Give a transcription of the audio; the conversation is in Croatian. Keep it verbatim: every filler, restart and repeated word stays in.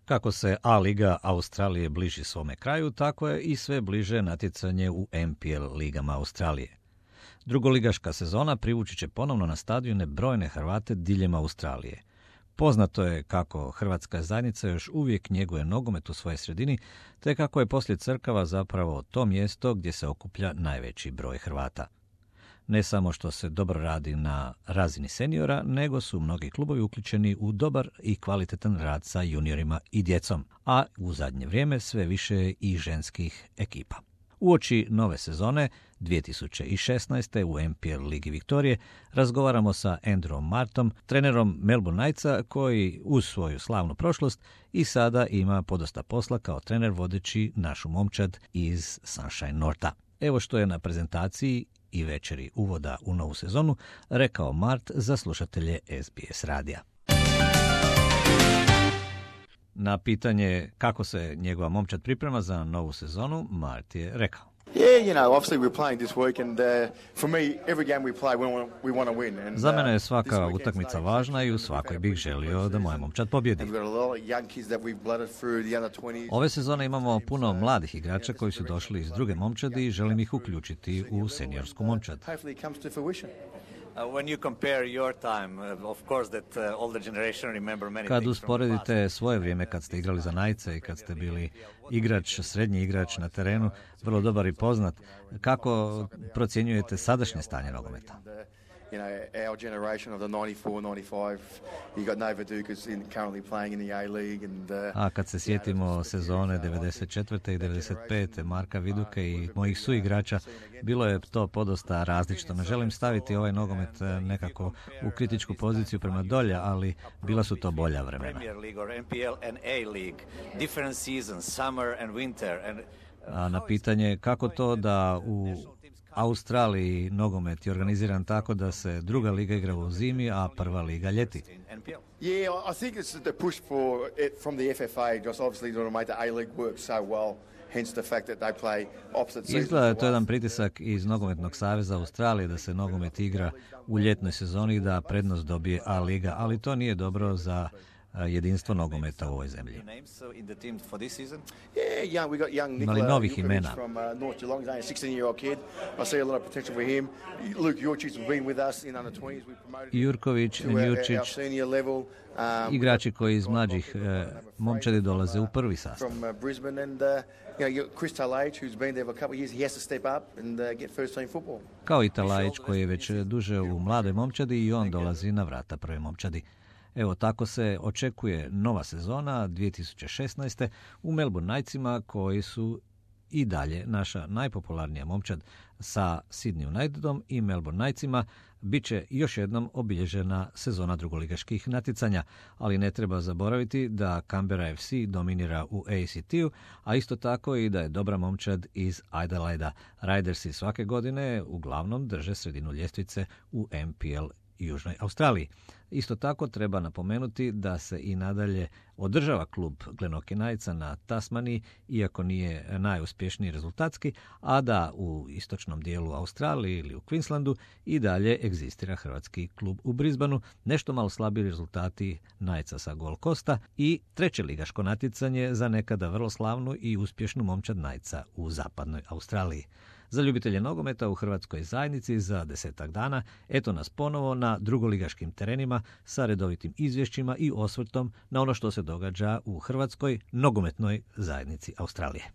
Kako se A-liga Australije bliži svome kraju, tako je i sve bliže natjecanje u N P L ligama Australije. Drugoligaška sezona privući će ponovno na stadione brojne Hrvate diljem Australije. Poznato je kako hrvatska zajednica još uvijek njeguje nogomet u svojoj sredini, te kako je poslije crkava zapravo to mjesto gdje se okuplja najveći broj Hrvata. Ne samo što se dobro radi na razini seniora, nego su mnogi klubovi uključeni u dobar i kvalitetan rad sa juniorima i djecom, a u zadnje vrijeme sve više i ženskih ekipa. Uoči nove sezone dvije tisuće šesnaeste. u N P L Ligi Viktorije razgovaramo sa Andrewom Martom, trenerom Melbourne Knightsa, koji uz svoju slavnu prošlost i sada ima podosta posla kao trener vodeći našu momčad iz Sunshine Northa. Evo što je na prezentaciji i večeri uvoda u novu sezonu rekao Mart za slušatelje S B S radija. Na pitanje kako se njegova momčad priprema za novu sezonu, Mart je rekao: Za mene je svaka utakmica važna i u svakoj bih želio da moja momčad pobjedi. Ove sezone imamo puno mladih igrača koji su došli iz druge momčadi i želim ih uključiti u seniorsku momčad. Kad usporedite svoje vrijeme kad ste igrali za Knightsa i kad ste bili igrač, srednji igrač na terenu, vrlo dobar i poznat, kako procjenjujete sadašnje stanje nogometa? You know, our generation of the ninety-four ninety-five, you got Nova Dukas in currently playing in the A League and uh, A kad se sjetimo sezone devedeset četvrte i devedeset pete. Marka Viduke i mojih suigrača, bilo je to podosta različito. Ne želim staviti ovaj nogomet nekako u kritičku poziciju prema dolje, ali bila su to bolja vremena. A na pitanje kako to da u Australiji nogomet je organiziran tako da se druga liga igra u zimi, a prva liga ljeti. Yeah, I think it's the push for it from the F F A just obviously to make the A League work so well. Hence the fact that they play opposite seasons. Izgleda je to jedan pritisak iz Nogometnog saveza Australije da se nogomet igra u ljetnoj sezoni i da prednost dobije A liga, ali to nije dobro za jedinstvo nogometa u ovoj zemlji. Imali novih imena. Jurković, Njurčić, igrači koji iz mlađih eh, momčadi dolaze u prvi sastav. Kao i Talajić koji je već duže u mladoj momčadi i on dolazi na vrata prve momčadi. Evo tako se očekuje nova sezona dvije tisuće šesnaeste. u Melbourne Knightsima koji su i dalje naša najpopularnija momčad. Sa Sydney Unitedom i Melbourne Knightsima bit će još jednom obilježena sezona drugoligaških natjecanja, ali ne treba zaboraviti da Canberra F C dominira u A C T-u, a isto tako i da je dobra momčad iz Adelaida. Ridersi svake godine uglavnom drže sredinu ljestvice u N P L Južnoj Australiji. Isto tako treba napomenuti da se i nadalje održava klub Glenorchy Knightsa na Tasmaniji, iako nije najuspješniji rezultatski, a da u istočnom dijelu Australije ili u Queenslandu i dalje egzistira hrvatski klub u Brisbaneu, nešto malo slabiji rezultati Knightsa sa Gold Coasta i treće ligaško natjecanje za nekada vrlo slavnu i uspješnu momčad Knightsa u zapadnoj Australiji. Za ljubitelje nogometa u hrvatskoj zajednici za desetak dana eto nas ponovo na drugoligaškim terenima sa redovitim izvješćima i osvrtom na ono što se događa u hrvatskoj nogometnoj zajednici Australije.